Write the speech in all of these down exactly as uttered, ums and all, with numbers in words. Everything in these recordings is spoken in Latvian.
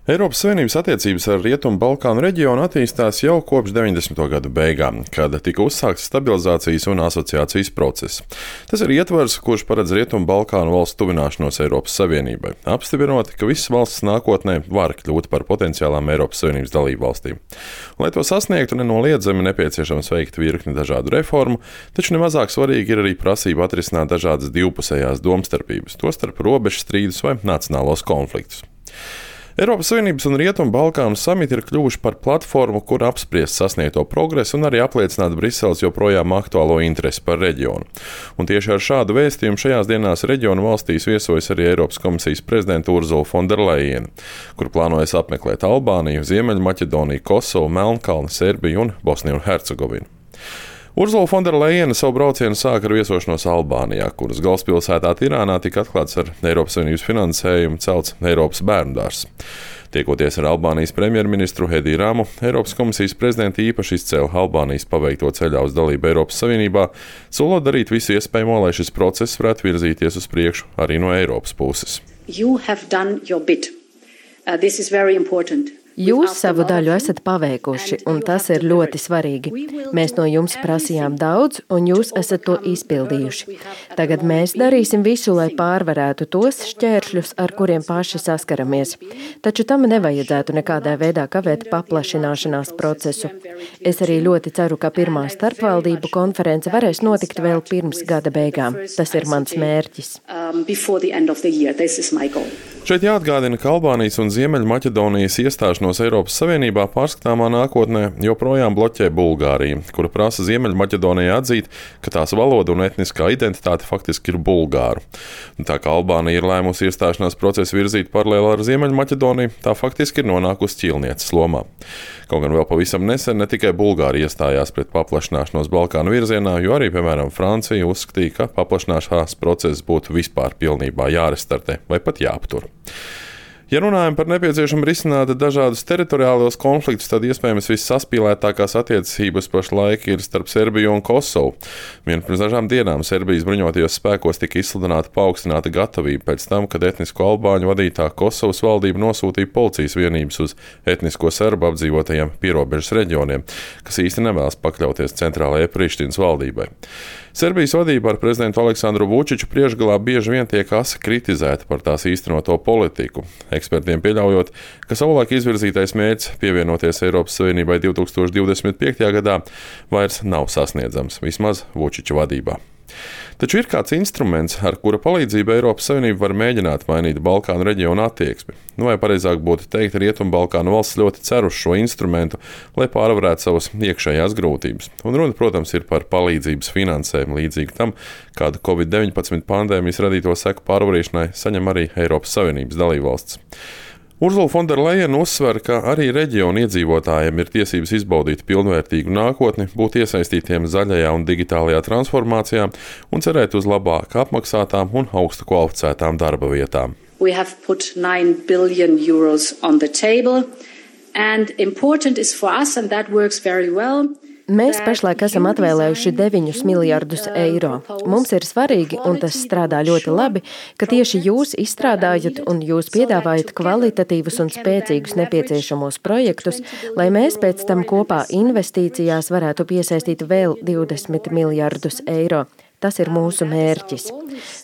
Eiropas Savienības attiecības ar Rietumu Balkānu reģionu attīstās jau kopš deviņdesmito gadu beigām, kad tika uzsākts stabilizācijas un asociācijas process. Tas ir ietvars, kurš paredz Rietumu Balkānu valstu tuvināšanos Eiropas Savienībai, apstiprinot, ka visas valstis nākotnē var kļūt par potenciālām Eiropas Savienības dalību valstīm. Lai to sasniegtu, nenoliedzami nepieciešams veikt virkni dažādu reformu, taču nemazāk svarīgi ir arī prasība atrisināt dažādas divpusējās domstarpības, tostarp robežu strīdus vai nacionālos konfliktus. Eiropas Savienības un Rietumu Balkānu samiti ir kļuvuši par platformu, kur apspriest sasniegto progresu un arī apliecināt Briseles joprojām aktuālo interesi par reģionu. Un tieši ar šādu vēstījumu šajās dienās reģionu valstīs viesojas arī Eiropas komisijas prezidenta Ursula von der Leyen, kur plānojas apmeklēt Albāniju, Ziemeļmaķedoniju, Kosovu, Melnkalni, Serbiju un Bosniju un Hercegovinu. Ursula von der Leyen savu braucienu sāka ar viesošanos Albānijā, kuras galvaspilsētā Tirānā tika atklāts ar Eiropas Savienības finansējumu celts Eiropas bērnudārzs. Tiekoties ar Albānijas premjerministru Ediju Ramu, Eiropas komisijas prezidenta īpaši izcēla Albānijas paveikto ceļā uz dalību Eiropas Savienībā, solot darīt visu iespējamo, lai šis process varētu virzīties uz priekšu arī no Eiropas puses. You have done your bit. Uh, this is very important. Jūs savu daļu esat paveikuši, un tas ir ļoti svarīgi. Mēs no jums prasījām daudz, un jūs esat to izpildījuši. Tagad mēs darīsim visu, lai pārvarētu tos šķēršļus, ar kuriem paši saskaramies. Taču tam nevajadzētu nekādā veidā kavēt paplašināšanās procesu. Es arī ļoti ceru, ka pirmā starpvaldību konference varēs notikt vēl pirms gada beigām. Tas ir mans mērķis. Šeit jāatgādina, ka Albānijas un Ziemeļmaķedonijas iestāšanos Eiropas Savienībā pārskatāmā nākotnē joprojām bloķē Bulgārija, kura prasa Ziemeļmaķedonijai atzīt, ka tās valoda un etniskā identitāte faktiski ir bulgāru. Un tā kā Albānija ir lēmusi iestāšanās procesu virzīt paralēli ar Ziemeļmaķedoniju, tā faktiski ir nonākusi ķīlnieces lomā. Kaut gan vēl pavisam nesen ne tikai Bulgārija iestājās pret paplašināšanos Balkānu virzienā, jo arī, piemēram, Francija uzskatīja, ka paplašināšanās process būtu vispār pilnībā jārestartē vai pat jāaptur. Ja runājam par nepieciešamu risināt dažādus teritoriālos konfliktus, tad iespējams vissaspīlētākās attiecības pašlaik ir starp Serbiju un Kosovu. Vien pirms dažām dienām Serbijas bruņotajos spēkos tika izsludināta paaugstināta gatavība pēc tam, kad etnisko albāņu vadītā Kosovas valdība nosūtīja policijas vienības uz etnisko serbu apdzīvotajiem pierobežas reģioniem, kas īsti nevēlas pakļauties centrālajai Prištinas valdībai. Serbijas vadība ar prezidentu Aleksandru Vučiču priekšgalā bieži vien tiek asi kritizēta par tās īstenoto politiku. Ekspertiem pieļaujot, ka savulaik izvirzītais mērķis pievienoties Eiropas Savienībai divtūkstoš divdesmit piektajā gadā vairs nav sasniedzams, vismaz Vučiča vadībā. Taču ir kāds instruments, ar kura palīdzību Eiropas Savienība var mēģināt mainīt Balkānu reģionu attieksmi. Nu, vai pareizāk būtu teikt, Rietumu Balkānu valsts ļoti cer uz šo instrumentu, lai pārvarētu savas iekšējās grūtības. Un runa, protams, ir par palīdzības finansējumu līdzīgu tam, kādu covid deviņpadsmit pandēmijas radīto seku pārvarēšanai saņem arī Eiropas Savienības dalībvalstis. Ursula von der Leyen uzsver, ka arī reģionu iedzīvotājiem ir tiesības izbaudīt pilnvērtīgu nākotni, būt iesaistītiem zaļajā un digitālajā transformācijā un cerēt uz labāk apmaksātām un augstu kvalificētām darba vietām. We have put nine billion euros on the table, and important is for us, and that works very well. Mēs pašlaik esam atvēlējuši deviņus miljardus eiro. Mums ir svarīgi, un tas strādā ļoti labi, ka tieši jūs izstrādājat un jūs piedāvājat kvalitatīvus un spēcīgus nepieciešamos projektus, lai mēs pēc tam kopā investīcijās varētu piesaistīt vēl divdesmit miljardus eiro. Tas ir mūsu mērķis.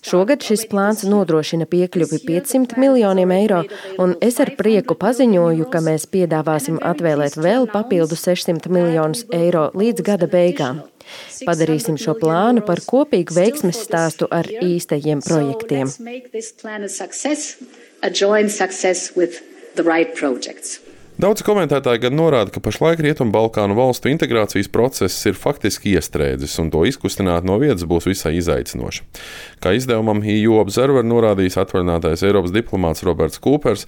Šogad šis plāns nodrošina piekļuvi piecsimt miljoniem eiro, un es ar prieku paziņoju, ka mēs piedāvāsim atvēlēt vēl papildu sešsimt miljonus eiro līdz gada beigām. Padarīsim šo plānu par kopīgu veiksmes stāstu ar īstajiem projektiem. Daudz komentētāji gan norāda, ka pašlaik Rietumu Balkānu valstu integrācijas process ir faktiski iestrēdzis, un to izkustināt no vietas būs visai izaicinoši. Kā izdevumam E U Observer norādījis atvaļinātais Eiropas diplomāts Roberts Kūpers,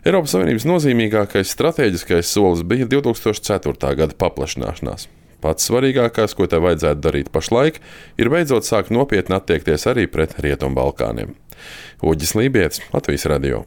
Eiropas Savienības nozīmīgākais stratēģiskais solis bija divtūkstoš ceturtā gada paplašināšanās. Pats svarīgākais, ko te vajadzētu darīt pašlaik, ir beidzot sākt nopietni attiekties arī pret Rietumu Balkāniem. Uģis Lībietis, Latvijas radio.